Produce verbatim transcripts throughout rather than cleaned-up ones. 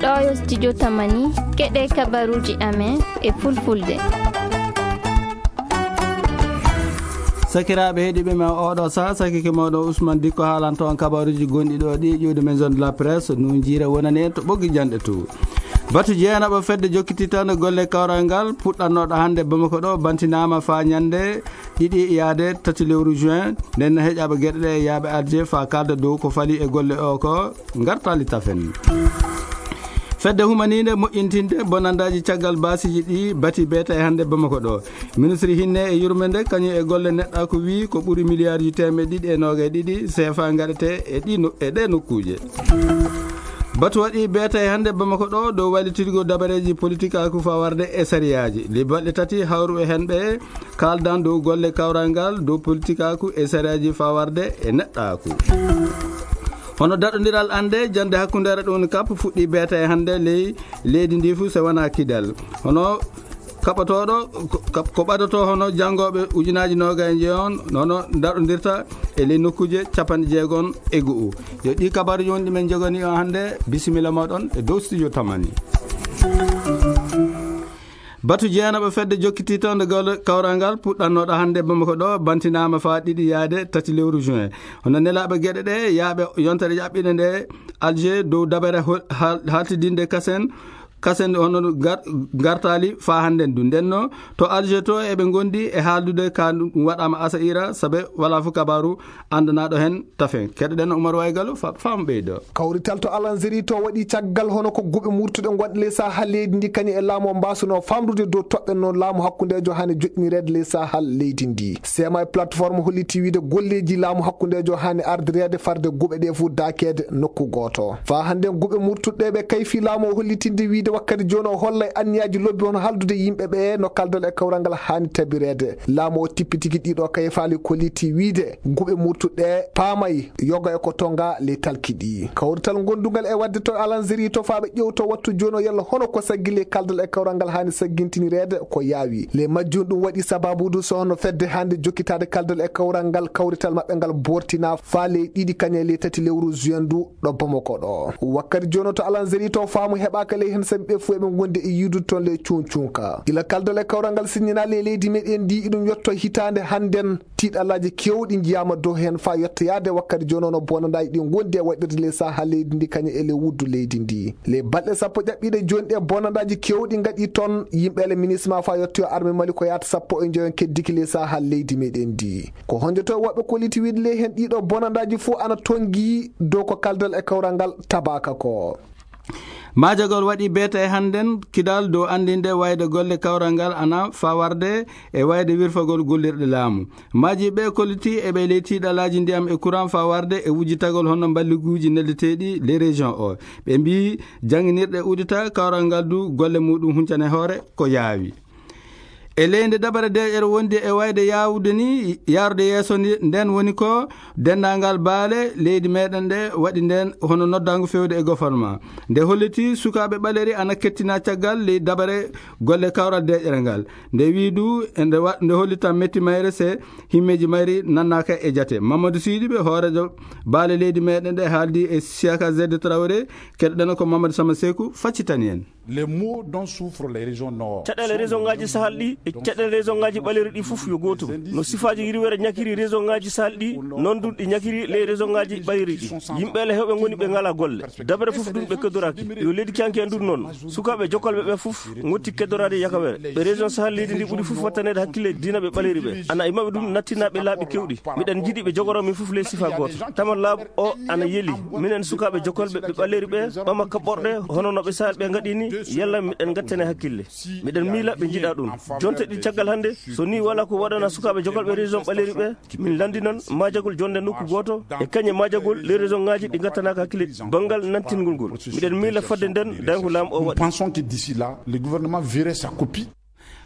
Ɗo yo studio Tamani, keɗe kabaruji amen e fulfulde. Sakiraaɓe heɗiiɓe men oɗo saha, sakike mawɗo Ousmane Dikko haalanto on kabaruji gonɗi ɗo ɗi ƴuwde maison de la presse, nun jiira wonani en to ɓoggi janɗe to. Batu jeenaɓo fedde jokkititande golle kawral ngal puɗɗannoɗo hannde Bamako ɗo bantinaama faa ñande ɗiɗi yaade tati lewru juin. Nden heƴaɓe geɗe ɗe yaaɓe arje faa kalda dow ko fali e golle o ko ngartali tafen. Fedde humaninde moƴƴintinde bonandaaji caggal baasiji ɗi bati beeta e hannde Bamako ɗo. Ministre hinne e yurmende kañum e golle neɗɗa ko wii ko ɓuri miliyarji teemeɗe ɗiɗi e noogay ɗiɗi seefa ngaɗete e ɗi no-, e ɗe nokkuuje. Batu waɗi beeta e hannde Bamako ɗo dow wallitirgo dabareeji politikaaku faa warde e sariyaaji. Lebbi balɗe tati hawru e hen ɓe kaaldan dow golle kawral ngal dow politikaaku e sariyaaji faa warde e neɗɗaaku. Hono daɗondiral annde jannde hakkundeere ɗum kap fuɗɗi beeta e hannde ley leydi ndi fuu se wonaa Kidal. Hono kaɓotooɗo ko, ko ɓadoto hono janngooɓe ujunaaji noogay e njeyon, hono daɗondirta e ley nokkuuje capanɗe jeegom e go'o. Yo ɗi kabaruji wonɗi men jogani on hannde, bisimilla mooɗon e dow studio Tamani. Batu jeenaɓo fedde jokkiti toon nde golle kawral ngal puɗɗannoɗo hannde Bamako ɗo bantinaama faa ɗiɗi yaade tati lewru juin. Hono nelaaɓe geɗe ɗe yaaɓe yontere ƴaɓɓiɗe nde Alger dow dabere hol-, hal-, haltidinde kasen, kasen hono gar-, gartaali faa hannden du. Ndenno to Alger to eɓe ngondi e haaldude ka ɗum waɗaama Asaira, sabe walaa fof kabaaru anndanaɗo hen tafen. Keɗoɗen Oumar Waygalo fa-, fam ɓeydo. Kawrital to Alanzeri to waɗi caggal hono ko guɓe murtuɗe gonɗe ley saha leydi ndi kañum e laamu o mbasuno famrude dow toɓɓe no laamu hakkundejo hani joɗɗinireede ley saha leydi ndi. Sema e plateforme holliti wiide golleji laamu hakkundejo hani ardireede farde guɓe ɗe fof daakeede nokku gooto. Fa hannden guɓe murtuɗe ɓe kayfi laamu o hollitinde wiide wakkati jooni o hollay anniyaji lobbi hono haldude yimɓe ɓe no kaldal e kawral ngal hani tabireede. Laamu o tippitigi ɗiɗo kayfaali kolliti wiide guɓe murtuɗe paamay yoga e ko tonga ley talki ɗi. Kawrital gondungal e wadde to Alanzeri to faaɓe ƴewto wattu jooni o yalla hono ko saggi ley kaldal e kawral ngal hani saggintinireede ko yaawi. Ley majjum ɗum waɗi sababudu so hono fedde hannde jokkitaade kaldal e kawral ngal kawrital maɓɓe ngal bortina faa ley ɗiɗi kañe ley tati lewru juin ndu ɗo Bamako ɗo. Wakkati jooni to Alanzeri to faamu heɓaaka ley heen sabi ɓe fof eɓe ngondi e yiidude toon ley cuuncunka. Ila kaldal e kawral ngal sinnina ley leydi meɗen ndi iɗum yotto hitaande hannden tiiɗalaaji kewɗi njiyaama dow heen faa yottoyaade wakkati jooni no bonandaaji ɗi ngondi e waɗirde ley saha leydi ndi kañum e ley wuddu leydi ndi. Ley balɗe sappo ƴaɓɓiiɗe jooni ɗe bonandaaji kewɗi ngaɗi toon yimɓe ele minisma faa yottoyo arme Mali ko yaata sappo e njoyon keddiki ley saha leydi meɗen ndi. Ko honjoto woɓɓe kolliti wiide ley heen ɗiɗo bonandaaji fof ana tongi dow ko kaldal e kawral ngal tabaaka ko. Maajagol waɗi beeta e hannden Kidal dow anndinde wayde golle kawral ngal ana faa warde e wayde wirfagol gollirɗe laamu. Maaji ɓe kolliti e ɓe ley tiiɗalaaji ndiyam e courant faa warde e wujjitagol hono mballiguuji neldeteeɗi ley région o. Ɓe mbii jannginirɗe udita kawral ngal du golle muɗum huncane hoore ko yaawi. E ley nde dabare deeƴere wondi e wayde yaawude ni, yaarude yeeso ni, nden woni ko denndaangal baale leydi meɗen ɗe waɗi nden hono noddaango fewde e goforma. Nde holliti sukaaɓe ɓaleri ana kettina caggal ley dabare golle kawral deeƴere ngal. Nde wii du, e nde wa-, nde hollita metti mayre se himmeeji mayri nannaaka e jate. Mamadou Sidibe, hooreejo baale leydi meɗen ɗe haaldi e Siaka Zedde Traoré, keɗoɗen ko Mamadou Sama Seku, faccitani en. Les maux dont souffrent les régions nord. Caɗeele région ngaji Sahel ɗi e caɗeele région ngaji ɓaleri ɗi fof yo gootum. No sifaaji riwere ñakiri région ngaji Sahel ɗi, noon ɗum ɗi ñakiri les région ngaji ɓaleri ɗi. Yimɓe ele heewɓe ngoni ɓe ngalaa golle. Dabere fof ɗum ɓe keddoraaki. Yo leydi canki en ɗum noon. Sukaaɓe jokkolɓe ɓe fof ngotti keddoraade yakawere. Ɓe région Sahel leydi ndi ɓuri fof wattaneede hakkille diina ɓe ɓaleri ɓe. Ana e maɓɓe ɗum nattinaaɓe laaɓi kewɗi. Miɗen njiɗi ɓe jogoro min fof les sifa gooto. Tama laaɓu o ana yeli. Minen sukaaɓe jokkolɓe ɓe ɓaleri ɓe, ɓama kaɓɓorɗe, hono no ɓe Sahel ɓe ngaɗi ni, yalla miɗen ngattane hakkille. Miɗen miila ɓe njiɗa ɗum. Jonte ɗi caggal hannde, so ni wala ko waɗana sukaaɓe jokkolɓe région ɓaleri ɓe, min lanndinan maajagol jonde nokku gooto, e kañe maajagol les région ngaji ɗi ngattanaaka hakkille banngal nantingol ngol. Miɗen miila fodde nden, dañko laamu o Nous waɗi. Pensons que d'ici là, le gouvernement verrait sa copie.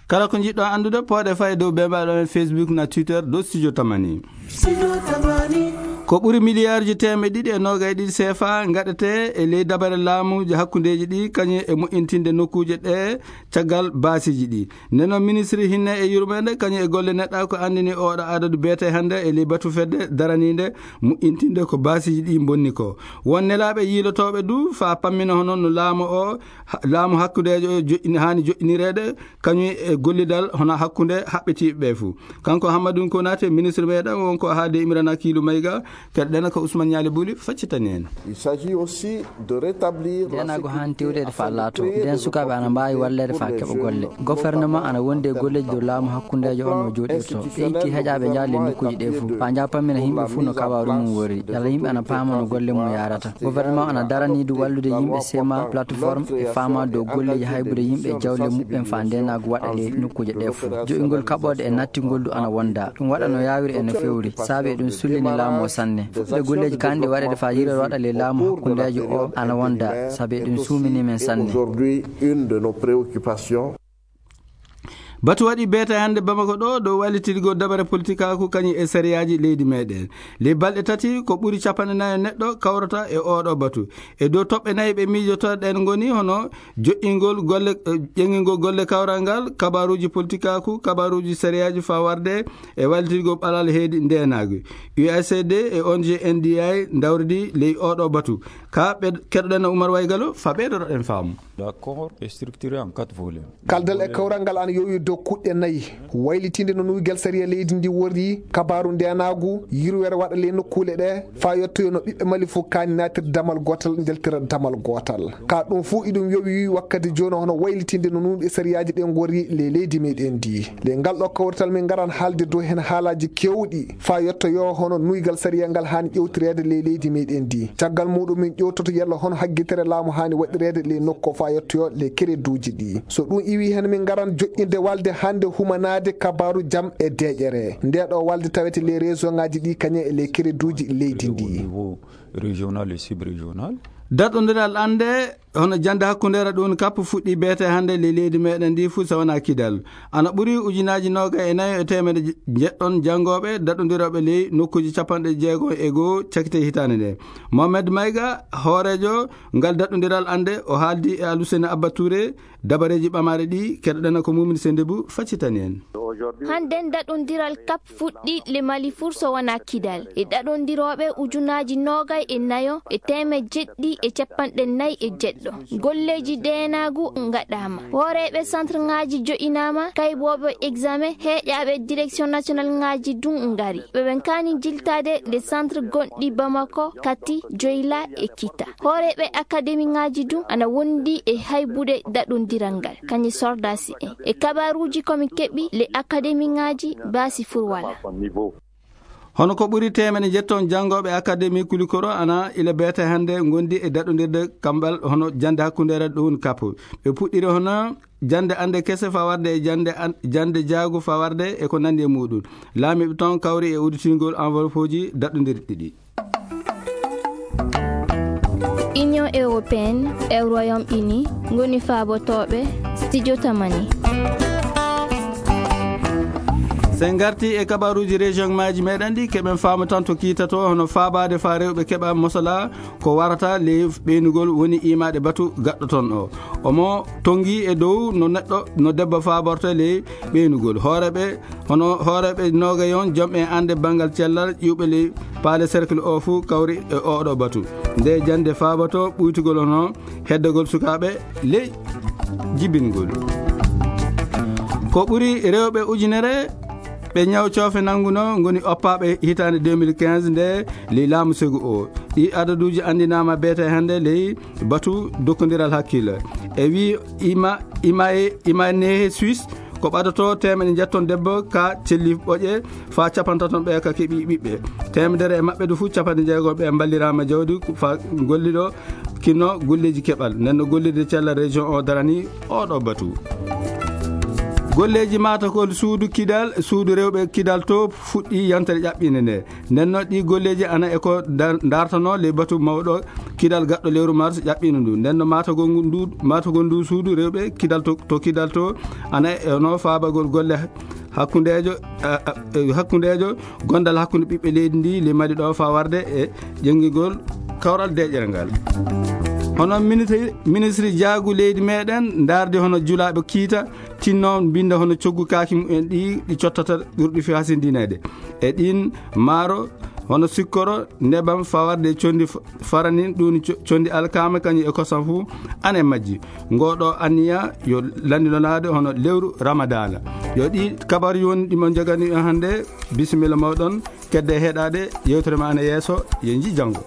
Kala ko njiɗɗo anndude, pooɗe fay dow bembaɗo men Facebook na Twitter dow Studio Tamani. Studio Tamani. Ko ɓuri miliyaarji teemeɗe ɗiɗi e noogay ɗiɗi seefa ngaɗetee e ley dabare laamuuji hakkundeeji ɗi, kañum e moƴƴintinde nokkuuje ɗe caggal baasiiji ɗi. Nden noon, ministre hinne e yurmeende, kañum e golle neɗɗa, ko anndini ooɗo adadu beetee hannde e ley batu fedde daraniinde moƴƴintinde ko baasiiji ɗi mbonni ko. Won nelaaɓe yiilotooɓe du faa pammina hono no laamu o, ha-, laamu hakkundeejo o joƴƴini, haani joƴƴinireede, kañum e gollidal hono hakkunde haɓɓitiiɓe ɓe fuu. Kanko Hammadou Konaté, ministre meɗen, won ko haalde Imrana Kiilu Mayga, keɗoɗen ko Ousmane Ñaali Buli, faccitani en. Il s'agit aussi de rétablir la Ndeenaagu haani sécurité tewteede faa afin de laato. Créer Ndeen des sukaaɓe ana mbaawi walleede faa keɓa golle. Gouvernement ana wondi e golleeji dow laamu hakkundeejo on no jooɗirto. E itti heƴaaɓe njaha ley nokkuuji ɗe fuu, faa njaha pammina yimɓe fuu no kabaaru mum worri. Yalla yimɓe ana paama no golle mum yaarata. Gouvernement ana daranii du wallude yimɓe C M A plateforme e faamaa dow golleeji haybude yimɓe e jawle muɓɓen faa ndeenaagu waɗa ley nokkuuje ɗe fuu. Jo'ingol kaɓooɗe e nattingol du ana wonda. Ɗum waɗa no yaawiri e no fewri. Saabe ɗum sullini laamu o sanne. Fuɗɗude golleeji kaanɗi waɗeede faa yiilol waɗa ley laamu hakkundeejo o ana wonda. Saabe ɗum suumini men sanne. Aujourd'hui, une de nos préoccupations. Batu waɗi beetee hannde Bamako ɗo, dow wallitirgol dabare politikaaku kañum e sariyaaji leydi meɗen. Ley balɗe tati, ko ɓuri capanɗe nayo neɗɗo kawrata e ooɗo batu. E dow toɓɓe nayi ɓe miijoto ɗen ngoni hono joƴƴingol golle, eh, ƴeŋingol golle kawral ngal, kabaaruuji politikaaku, kabaaruuji sariyaaji faa warde e wallitirgol ɓalal heedi ndeenaagu. U S A D e O N G N D I ndawridi ley ooɗo batu. Ka ɓe keɗoɗen Oumar Waygalo, faa ɓeydotoɗen faamu. L'accord est structuré en quatre volets. Kaldal e kawral ngal ana yowi dow kuɗɗe nayi. Waylitinde no nuygal sariya leydi ndi worri, kabaaru ndeenaagu, yurwere waɗa ley nokkuule ɗe, faa yottoyo no ɓiɓɓe Mali fof kaani naatirde damal gootal, njaltira damal gootal. Ka ɗum fof iɗum yowi wakkati jooni hono waylitinde no nuyɗe sariyaaji ɗen ngorri ley leydi meɗen ndi. Ley ngal ɗo kawrital min ngaran haalde dow heen haalaaji keewɗi, faa yottoyo hono nuygal sariya ngal haani ƴewtireede ley leydi meɗen ndi. Caggal muɗum min ƴewtoto yalla hono haggitere laamu haani waɗireede ley nokku faa yottoyo ley kereduuji ɗi. So ɗum iwi heen min ngaran joƴƴinde walde hannde humanaade kabaaru jam e deeƴere. Nde ɗo walde tawete ley région ŋaaji ɗi kañum e ley kereduuji leydi ndi. Au niveau régional et sub-régional. Daɗondiral annde hono jannde hakkundeere ɗum kap fuɗɗi beetee hannde ley leydi meɗen ndi fuu so wonaa Kidal. Ana ɓuri ujunaaji noogay e nayo e teemedde je-, njeɗɗon janngooɓe daɗondirooɓe ley nokkuuji capanɗe jeego e goo cakite hitaande nde. Mohamed Mayga, hooreejo ngal daɗondiral annde, o haaldi e Aluseni Abba Touré, dabareeji ɓamaaɗe ɗi keɗoɗen ko Mumin Sendebu faccitani en. Hannden daɗondiral kap fuɗɗi le Mali fuu so wonaa Kidal. E daɗondirooɓe ujunaaji noogay e nayo e teemedde jeɗɗi e capanɗe nayi e jeɗɗo. Golleeji deenaagu ngaɗaama. Hooreeɓe centre ŋaaji jo'inaama, kaybooɓe examen, heeƴaaɓe direction national ŋaaji dun ngari. Ɓe ɓen kaani jiltaade nde centre gonɗi Bamako, Kati, Joyla e Kita. Hooreeɓe akademi ŋaaji dun ana wondi e haybude daɗondiral ngal, kañe sordaasi en. E kabaaruuji ko min keɓi le akademi ŋaaji baasi furwala. Hono ko ɓuri teemedde njetton janngooɓe Akademi Kulikoro ana ila beete hannde ngondi e daɗondirde kamɓal hono jannde hakkundeere ɗum kappo. Ɓe puɗɗiri hono jannde annde kese fawarde e jannde an-, jannde jaagu fawarde e ko nanndi e muɗum. Laamiiɓe toon kawri e udditingol enveloppe uji daɗondirɗi ɗi. Union européenne e Royaume-Uni ngoni faabotooɓe Studio Tamani. So en ngarti e kabaruuji région maaji meɗen ɗi, keɓen faamu tan to kiitato, hono faabaade faa rewɓe keɓa mosola ko warata ley ɓeynugol woni imaade batu gaɗɗo toon o. Omo tongi e dow no neɗɗo, no debbo faaborto ley ɓeynugol. Hooreeɓe, hono hooreeɓe noogayon, jom e annde banngal cellal, ƴiwɓe ley paale cercle o fuu kawri e oɗo batu. Nde jannde faaboto ɓuytugol hono heddagol sukaaɓe ley jibingol. Ko ɓuri rewɓe ujunere ɓe ñaw coofe nannguno ngoni oppaaɓe hitaande deux mille quinze nde ley laamu segu o. Ɗi adaduuji anndinaama beete hannde ley batu dokkondiral hakkille. E wi ima, ima e, ima nehe Suisse ko ɓadoto teemedde njetton debbo ka celli ɓoƴe faa capantaton ɓe ka keɓi ɓiɓɓe. Teemedere e maɓɓe du fuu capanɗe jeego ɓe mballiraama jawdi faa golliɗo kinno golleeji keɓal. Nden no gollirde cellal région o darani oɗo batu. Golleeji maatagol suudu Kidal, suudu rewɓe Kidal to fuɗɗi yantere ƴaɓɓinde nde. Nden no ɗi golleeji ana e ko dar-, dartano ley batu mawɗo Kidal gaɗɗo lewru mars ƴaɓɓino ndu. Nden no maatagol ngu-, ndu, maatagol ndu suudu rewɓe Kidal to, to Kidal to ana e no faabagol golle hakkundeejo hakkundeejo gondal hakkunde ɓiɓɓe leydi ndi limadi ɗo fa warde e ƴenngigol kawral deƴere ngal. Hono ministri jaagu leydi meɗen ndardi hono julaaɓe kiita tinno mbinda hono coggu kaaki mumen ɗi ɗi cottata ɓurɗi fi hasindineede e ɗin maaro hono sikkoro nebam fawarde condi faranin ɗum condi alkama kañum e kosam fuu ane majji. Ngoɗo anniya yo landinonaade hono lewru ramadana. Yo ɗi kabar yoni ɗimo jogani hannde. Bisimilla mawɗon. Kedde heɗade yewtere ma ane yeeso. Ye ji janngo.